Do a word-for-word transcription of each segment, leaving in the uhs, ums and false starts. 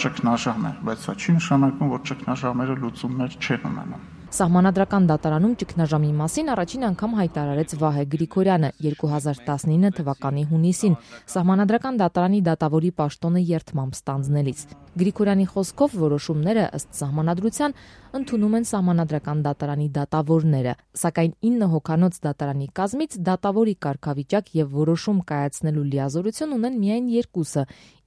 ճգնաժամ է, բայց սա չի նշանակում, որ ճգնաժամերը լուծումներ չեն ունենում։ Սահմանադրական դատարանում ճգնաժամի մասին առաջին անգամ հայտարարեց Վահե Գրիգորյանը երկու հազար տասնինը թվականի հունիսին Սահմանադրական դատարանի դատավորի պաշտոնը երդմամբ ստանձնելիս։ Գրիգորյանի խոսքով որոշումները ըստ Սահմանադրության ընդունում են Սահմանադրական դատարանի դատավորները, սակայն ինը հոգանոց դատարանի կազմից դատավորի կարգավիճակ եւ որոշում կայացնելու լիազորություն ունեն միայն երկուսը՝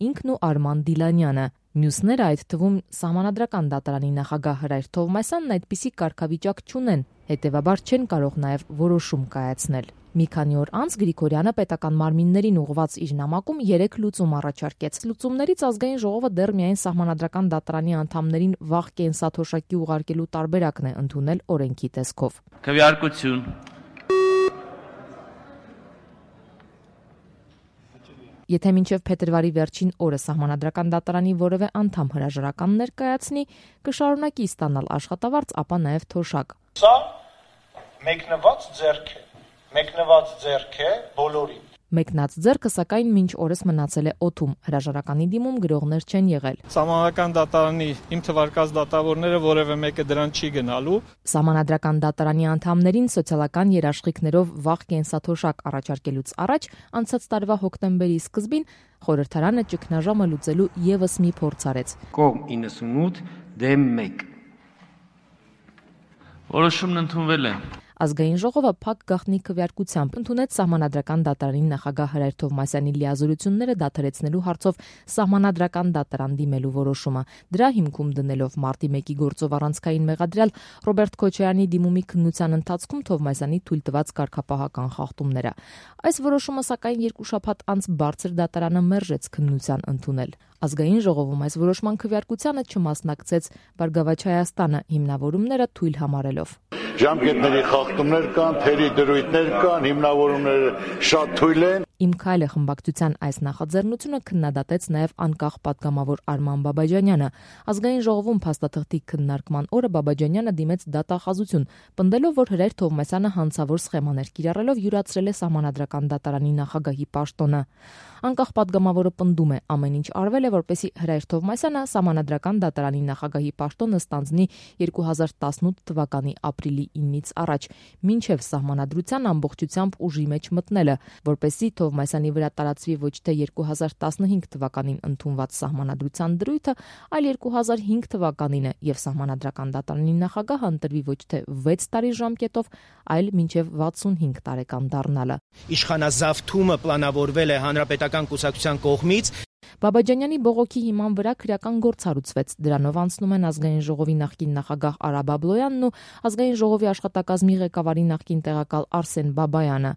ինքն ու Արման Դիլանյանը։ Մյուսները, այդ թվում Սահմանադրական դատարանի նախագահ Հրայր Թովմասյանն այդպիսի կարգավիճակ չունեն, հետևաբար չեն կարող նաև որոշում կայացնել։ Մի քանի օր անց Գրիգորյանը պետական մարմիններին ուղղված իր նամակում երեք լուծում առաջարկեց։ Լուծումներից ազգային ժողովը դեռ միայն Սահմանադրական դատարանի անդամներին վաղ կենսաթոշակի ուղարկելու տարբերակն է ընդունել օրենքի տեսքով։ Քվեարկություն Եթե մինչև փետրվարի վերջին օրը Սահմանադրական դատարանի որևէ անդամ հրաժարական ներկայացնի, կշարունակի ստանալ աշխատավարձ, ապա նաև թոշակ։ Սա մեկնված ձեռք է, մեկնված ձեռք է բոլորին։ Մեկնած ձեռքը սակայն մինչ օրս մնացել է օդում, հրաժարականի դիմում գրողներ չեն եղել։ Սահմանադրական դատարանի իմ թվարկած դատավորները որևէ մեկը դրան չի գնալու։ Սահմանադրական դատարանի անդամներին սոցիալական երաշխիքներով վաղ կենսաթոշակ առաջարկելուց առաջ անցած տարվա հոկտեմբերի սկզբին խորհրդարանը ճգնաժամը լուծելու ևս մի փորձ արեց։ Կողմ իննսունութ դեմ մեկ։ Որոշումն ընդունվել է։ Ազգային ժողովը փակ գաղտնի քվեարկությամբ ընդունեց Սահմանադրական դատարանի նախագահ Հրայր Թովմասյանի լիազորությունները դադարեցնելու հարցով Սահմանադրական դատարան դիմելու որոշումը։ Դրա հիմքում դնելով մարտի մեկի գործով առանցքային մեղադրյալ Ռոբերտ Քոչարյանի դիմումի քննության ընթացքում Թովմասյանի թույլ տված կարգապահական խախտումները։ Այս որոշումը սակայն երկու շաբաթ անց բարձր դատարանը մերժեց քննության ընդունել։ Ազգային ժողովում այս որոշման քվեարկությանը չմասնակցեց Բարգավաճ Հայաստանը հիմնավորումները թույլ համարելով։ Ժամկետների խախտումներ կան, թերի դրույթներ կան, հիմնավորումները շատ թույլ են։ Իմ քայլը խմբակցության այս նախաձեռնությունը քննադատեց նաև անկախ պատգամավոր Արման Բաբաջանյանը։ Ազգային ժողովում փաստաթղթի քննարկման օրը Բաբաջանյանը դիմեց դատախազություն, պնդելով, որ Հրայր Թովմասյանը հանցավոր սխեմաներ կիրառելով յուրացրել է Սահմանադրական դատարանի նախագահի պաշտոնը։ Անկախ պատգամավորը պնդում է, ամեն ինչ արվել է, որպեսզի Հրայր Թովմասյանը Սահմանադրական դատարանի նախագահի պաշտոնը ստանձնի երկու հազար տասնութ թվականի ապրիլի ինից առաջ, մինչև Սահմանադրության ամբողջությամբ ուժի մեջ մտնելը, որպեսզի Թովմասյանի վրա տարածվի ոչ թե երկու հազար տասնհինգ թվականին ընդունված Սահմանադրության դրույթը, այլ երկու հազար հինգ թվականինը եւ Սահմանադրական դատարանի նախագահը ընտրվի ոչ թե վեց տարի ժամկետով, այլ մինչև վաթսունհինգ տարեկան դառնալը։ Իշխանազավթումը պլանավորվել է հանրապետական կուսակցության կողմից։ Բաբաջանյանի բողոքի հիման վրա քրեական գործ հարուցվեց։ Դրանով անցնում են ազգային ժողովի նախկին նախագահ Արա Բաբլոյանն ու ազգային ժողովի աշխատակազմի ղեկավարի նախկին տեղակալ Արսեն Բաբայանը։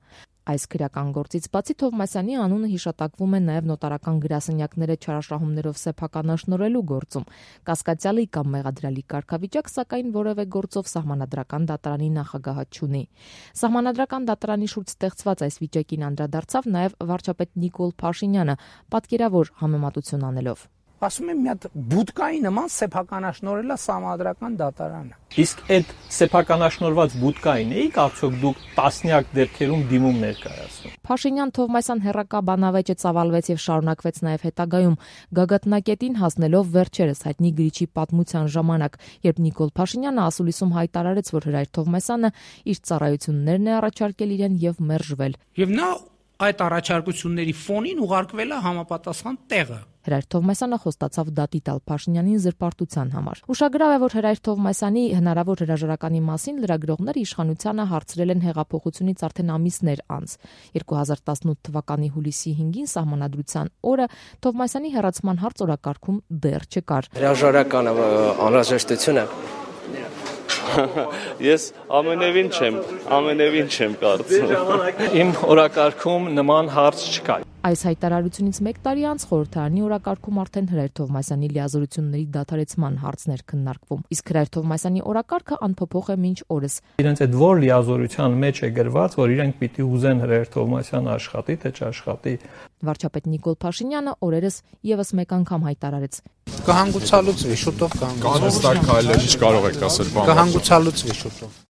Այս քրեական գործից բացի Թովմասյանի անունը հիշատակվում է նաև նոտարական գրասենյակները չարաշահումներով սեփականաշնորհելու գործում։ Կասկածյալի կամ մեղադրյալի կարգավիճակ, սակայն որևէ գործով Սահմանադրական դատարանի նախագահը չունի։ Սահմանադրական դատարանի շուրջ ստեղծված այս վիճակին անդրադարձավ նաև վարչապետ Նիկոլ Փաշինյանը, պատկերավոր համեմատություն անելով։ Ասում եմ, մի հատ բուդկայի նման սեփականաշնորհելա Սահմանադրական դատարանը։ Իսկ այդ սեփականաշնորհված բուդկային էիք արդյոք դուք տասնյակ դեպքերում դիմում ներկայացնում։ Փաշինյան-Թովմասյան հերրակա բանավեճը ծավալվեց եւ շարունակվեց նաեւ հետագայում, գագաթնակետին հասնելով վերջերս հայտնի գրիչի պատմության ժամանակ, երբ Նիկոլ Փաշինյանը ասուլիսում հայտարարեց, որ Հրայր Թովմասյանը իր ծառայություններն է առաջարկել իրեն եւ մերժվել։ Եվ նա այդ առաջարկությունների ֆոնին ուղարկվել է համապատասխան տեղը։ Հրայր Թովմասյանը խոստացավ դատի տալ Փաշինյանին զրպարտության համար։ Ուշագրավ է, որ Հրայր Թովմասյանի հնարավոր հրաժարականի մասին լրագրողները իշխանությանը հարցրել են հեղափոխությունից արդեն ամիսներ անց։ երկու հազար տասնութ թվականի հուլիսի հինգին Սահմանադրության օրը Թովմասյանի հեռացման հարց օրակարգում դեռ չկար։ Հրաժարականը անհրաժեշտություն է։ Ես ամենևին չեմ, ամենևին չեմ կարծում։ Իմ օրակարգում նման հարց չկա։ Այս հայտարարությունից մեկ տարի անց խորհրդարանի օրակարգում արդեն Հրայր Թովմասյանի լիազորությունների դադարեցման հարցներ քննարկվում։ Իսկ Հրայր Թովմասյանի օրակարգը անփոփոխ է մինչ օրս։ Իրենց այդ որ լիազորության մեջ է գրված, որ իրենք պիտի ուզեն Հրայր Թովմասյանը աշխատի, թե չաշխատի։ Վարչապետ Նիկոլ Փաշինյանը օրերս եւս մեկ անգամ հայտարարեց. Կհանգուցալուծվի, շուտով կհանգուցալուծվի։ Կանստակ քայլեր չկարող եք ասել բան։ Կհանգուցալուծվի շուտով։